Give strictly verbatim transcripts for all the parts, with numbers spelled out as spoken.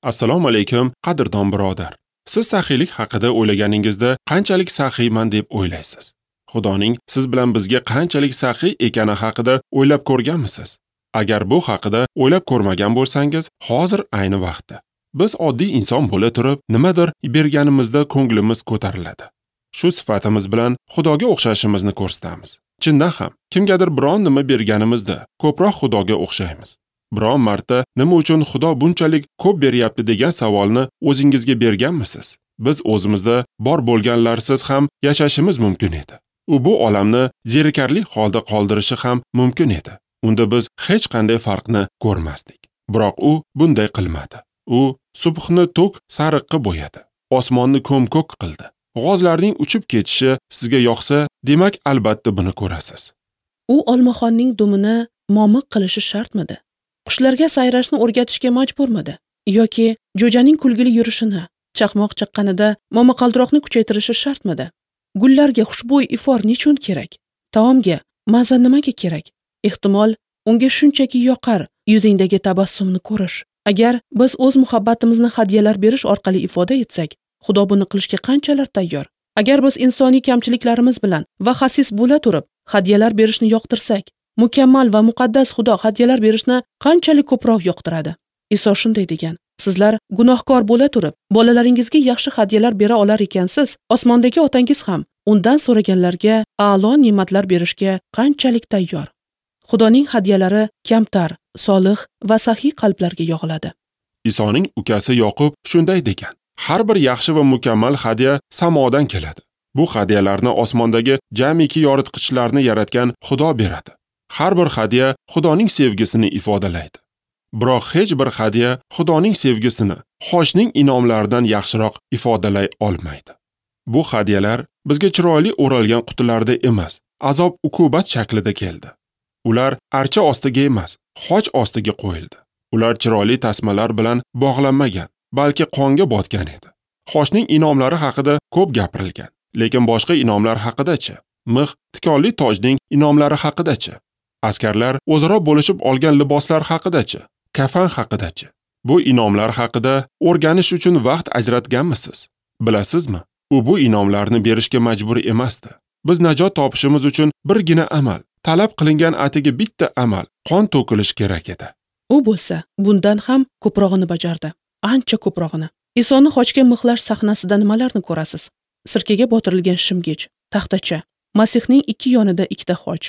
Assalomu alaykum, qadrdon birodar. Siz saxiylik haqida o'ylaganingizda qanchalik saxiyman deb o'ylaysiz? Xudoning siz bilan bizga qanchalik saxiy ekani haqida o'ylab ko'rganmisiz? Agar bu haqida o'ylab ko'rmagan bo'lsangiz, hozir ayni vaqtda. Biz oddiy inson bo'la turib, nimadir berganimizda ko'nglimiz ko'tariladi. Shu sifatimiz bilan Xudoga o'xshashimizni ko'rsatamiz. Chindan ham, kimgadir biron nima berganimizda ko'proq Xudoga o'xshaymiz. Biron marta nima uchun Xudo bunchalik ko'p beryapti degan savolni o'zingizga berganmisiz? Biz o'zimizda bor bo'lganlarsiz ham yashashimiz mumkin edi. U bu olamni zerikarli holda qoldirishi ham mumkin edi. Unda biz hech qanday farqni ko'rmasdik. Biroq u bunday qilmadi. U subhni to'k sariqqa bo'yadi, osmonni ko'm-ko'k qildi. G'ozlarning uchib ketishi sizga yoqsa, demak albatta buni ko'rasiz. U olmaxonning dumini momiq qilishi shartmidi? Qushlarga sayrashni o'rgatishga majburmidi? Yoki jo'janing kulgili yurishini, chaqmoq chaqqanida momaqaldiroqni kuchaytirishi shartmidi? Gullarga xushbo'y ifor nechun kerak? Taomga maza nimaga kerak? Ehtimol, unga shunchaki yoqar yuzingdagi tabassumni ko'rish. Agar biz o'z muhabbatimizni hadyalar berish orqali ifoda etsak, Xudo buni qilishga qanchalar tayyor? Agar biz insoniy kamchiliklarimiz bilan va xasis bo'la turib hadyalar berishni yoqtirsak, mukammal va muqaddas Xudo hadyalar berishni qanchalik ko'proq yoqtiradi? Iso shunday degan: sizlar gunohkor bo'la turib bolalaringizga yaxshi hadyalar bera olar ekansiz, osmondagi otangiz ham undan so'raganlarga a'lo ne'matlar berishga qanchalik tayyor. Xudoning hadyalari kamtar, solih va saxiy qalblarga yog'iladi. Isoning ukasi Yoqub shunday degan: har bir yaxshi va mukammal hadya samodan keladi. Bu hadyalarni osmondagi jamiki yoritqichlarni yaratgan Xudo beradi. Har bir hadya Xudoning sevgisini ifodalaydi. Biroq hech bir hadya Xudoning sevgisini xochning inomlaridan yaxshiroq ifodalay olmaydi. Bu hadyalar bizga chiroyli o'ralgan qutilarda emas, azob-uqubat shaklida keldi. Ular archa ostiga emas, xoch ostiga qo'yildi. Ular chiroyli tasmalar bilan bog'lanmagan, balki qonga botgan edi. Xochning inomlari haqida ko'p gapirilgan, lekin boshqa inomlar haqida-chi? Mix, tikonli tojning inomlari haqida-chi? Askarlar o'zaro bo'lishib olgan liboslar haqida-chi? Kafan haqida-chi? Bu inomlar haqida o'rganish uchun vaqt ajratganmisiz? Bilasizmi? U bu inomlarni berishga majbur emasdi. Biz najot topishimiz uchun birgina amal, talab qilingan atigi bitta amal, qon to'kilish kerak edi. U bo'lsa, bundan ham ko'prog'ini bajardi. Ancha ko'prog'ini. Isoni xochga mixlash sahnasida nimalarni ko'rasiz? Sirkaga botirilgan shimgich, taxtacha, Masihning ikki yonida ikkita xoch.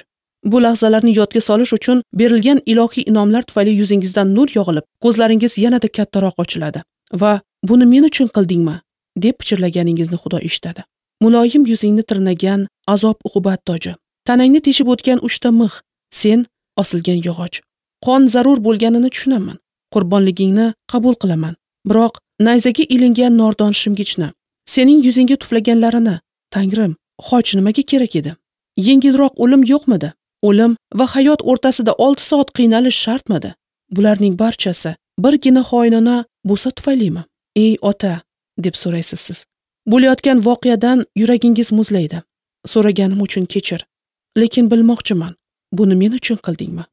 Bu lahzalarni yodga solish uchun berilgan ilohiy inomlar tufayli yuzingizdan nur yog'ilib, ko'zlaringiz yanada kattaroq ochiladi va buni men uchun qildingmi deb pichirlaganingizni Xudo eshitadi. Muloyim yuzingni tirnagan azob-uqubat toji, tanangni teshib o'tgan uchta mix, sen osilgan yog'och. Qon zarur bo'lganini tushunaman. Qurbonligingni qabul qilaman. Biroq nayzaga ilingan nordon shimgichni, sening yuzingga tuflaganlarini, Tangrim, xoch nimaga kerak edi? Yengilroq o'lim yo'qmidi? O'lim va hayot o'rtasida olti soat qiynalish shartmidi? Bularning barchasi birgina xoinona bo'sa tufaylimi? Ey ota, deb so'raysiz siz. Bo'layotgan voqeadan yuragingiz muzlaydi. So'raganim uchun kechir. Lekin bilmoqchiman, buni men uchun qildingmi?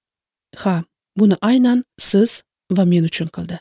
Ha, buni aynan siz va men uchun qildi.